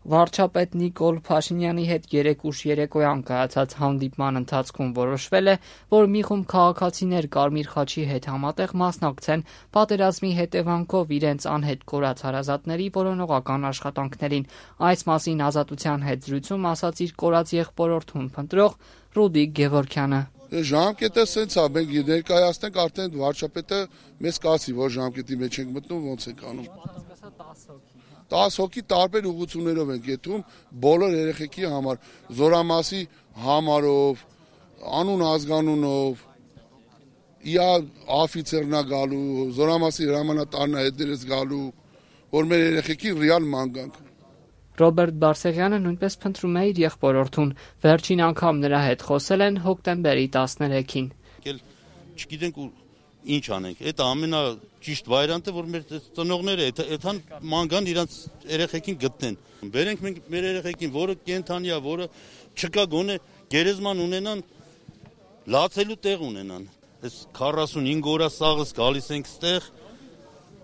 Վարչապետ Նիկոլ Փաշինյանի հետ երեկ ուշ երեկոյան կայացած հանդիպման ընթացքում որոշվել է, որ մի խումբ քաղաքացիներ Կարմիր խաչի հետ համատեղ մասնակցեն պատերազմի հետևանքով իրենց անհետ կորած հարազատների որոնողական աշխատանքներին։ Այս մասին Ազատության հետ զրույցում ասաց իր կորած եղբորորդուն փնտրող Ռուդիկ Գևորգյանը։ Ժամկետը սենց է, մենք ներկայացնենք, արդեն վարչապետը մեզ կասի, որ ժամկետի մեջ ենք մտնում, ոնց ենք անում։ 10 հոգի տարբեր ուղղություններով ենք եթում բոլոր երեխեքի համար, զորամասի համարով, անուն ազգանունով, իա աֆիցերնա գալու, զորամասի հրամանատարնա հետերես գալու, որ մեր երեխեքի ռեալ ման գանք։ Ռոբերտ Բարսեղյանը նույնպես փնտրում է իր եղբորորդուն։ Վերջին անգամ նրա հետ խոսել են հոկտեմբերի 13-ին։ Չգիտենք ինչ անենք, այդ ամենաճիշտ վարիանտը, որ մեր ծնողները այդքան ման գան իրանց երեխեքին գտնեն։ Բերենք մենք մեր երեխեքին, որը կենթանի է, որը չկա գոնե գերեզման ունենան, լացելու տեղ ունենան։ Այս 45 օրա սաղս գալիս ենք ստեղ,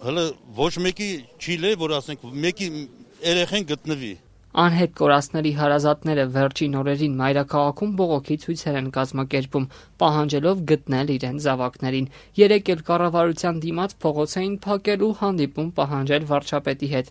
հələ ոչ մեկի չի լե, որ ասենք մեկի երեխեն գտնվի։ Անհետ կորածների հարազատները վերջին օրերին մայրաքաղաքում բողոքի ցույցեր են կազմակերպում, պահանջելով գտնել իրենց զավակներին։ Երեկ էլ կառավարության դիմաց փողոց էին փակել ու հանդիպում պահանջել վարչապետի հետ,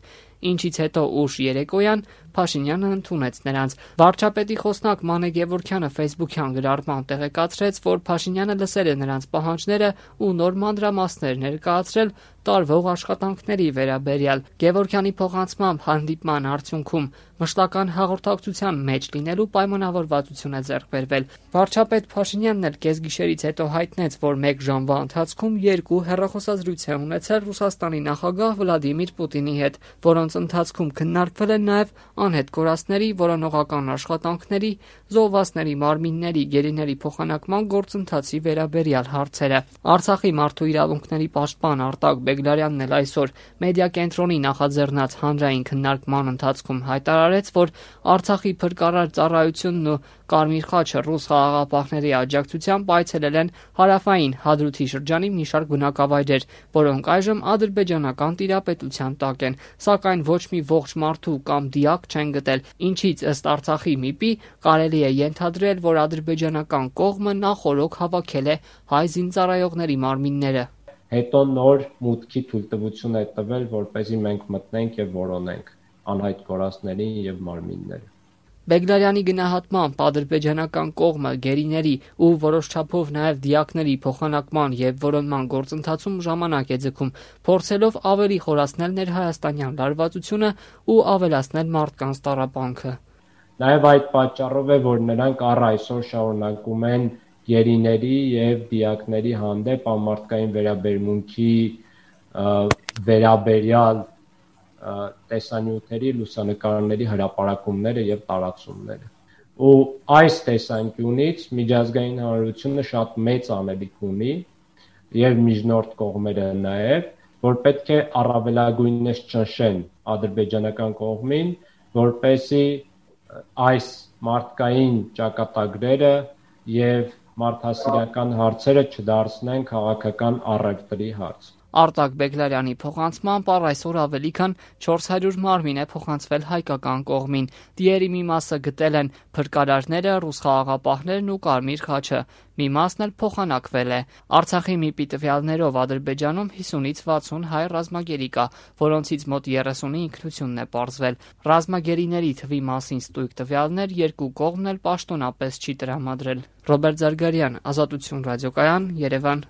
ինչից հետո ուշ երեկոյան Փաշինյանը ընդունեց նրանց։ Վարչապետի խոսնակ Մանե Գևորգյանը Facebook-յան գրառման տեղեկացրեց, որ Փաշինյանը լսել է նրանց պահանջները ու նոր մանրամասներ ներկայացրել տարվող աշխատանքների վերաբերյալ։ Գևորգյանի փոխանցմամբ հանդիպման արդյունքում մշտական հաղորդակցության մեջ լինելու պայմանավորվածություն է ձեռք բերվել։ Վարչապետ Փաշինյանն էլ կեսգիշերից հետո հայտնեց, որ 1 ժամվա ընթացքում 2 հեռախոսազրույց է ունեցել Ռուսաստանի նախագահ Վլադիմիր Պուտինի հետ, որոնց ընթացքում քննարկվել են նաև անհետ կորածների որոնողական աշխատանքների, զոհվածների մարմինների, գերիների փոխանակման գործընթացի վերաբերյալ հարցերը։ Արցախի մարդու իրավունքների պաշտպան Արտակ Բեգլարյանն էլ այսօր մեդիա կենտրոնի նախաձեռնած հանրային քննարկման ընթացքում հայտարարեց, որ Արցախի փրկարար ծառայությունն ու Կարմիր խաչը ռուս խաղաղապահների աջակցությամբ այցելել են հարավային Հադրութի շրջանի մի շարք բնակավայրեր, որոնք այժմ ադրբեջանական տիրապետության տակ են, սակայն ոչ մի ողջ մարդու կամ դիակ չեն գտել, ինչից ըստ Արցախի ՄԻՊ-ի կարելի է ենթադրել, որ ադրբեջանական կողմը նախօրոք հավաքել է հայ զինծառայողների մարմինները։ Հետո նոր մուտքի թույլտվություն է տվել, որպեսզի մենք մտնենք եւ որոնենք անհայտ կորածներին եւ մարմինները։ Բեգլարյանի գնահատմամբ ադրբեջանական կողմը գերիների ու որոշ չափով նաև դիակների փոխանակման եւ որոնման գործընթացում ժամանակ է ձգում, փորձելով ավելի խորացնել ներհայաստանյան լարվածությունը ու ավելացնել մարդկանց տառապանքը։ Նաև այդ պատճառով է, որ նրանք առ այսօր շարունակում են գերիների եւ դիակների հանդեպ անմարդկային վերաբերմունքի վերաբերյալ տեսանյութերի, լուսանկարների հրապարակումները եւ տարածումները։ Ու այս տեսանկյունից միջազգային հանրությունը շատ մեծ անելիք ունի եւ միջնորդ կողմերը նաեւ, որ պետք է առավելագույնս ճնշեն ադրբեջանական կողմին, որպեսզի այս մարդկային ճակատագրերը եւ մարդասիրական հարցերը չդարձնեն քաղաքական առևտրի հարց։ Արտակ Բեգլարյանի փոխանցմամբ առ այսօր ավելի քան 400 մարմին է փոխանցվել հայկական կողմին։ Դիերի մի մասը գտել են փրկարարները, ռուս խաղաղապահներն ու Կարմիր խաչը։ Մի մասն էլ փոխանակվել է։ Արցախի ՄԻՊ-ի տվյալներով Ադրբեջանում 50-ից 60 հայ ռազմագերի կա, որոնցից մոտ 30-ի ինքնությունն է պարզվել։ Ռազմագերիների թվի մասին ստույգ տվյալներ երկու կողմն էլ պաշտոնապես չի տրամադրել։ Ռոբերտ Զարգարյան, Ազատություն ռադիոկայան, Երևան։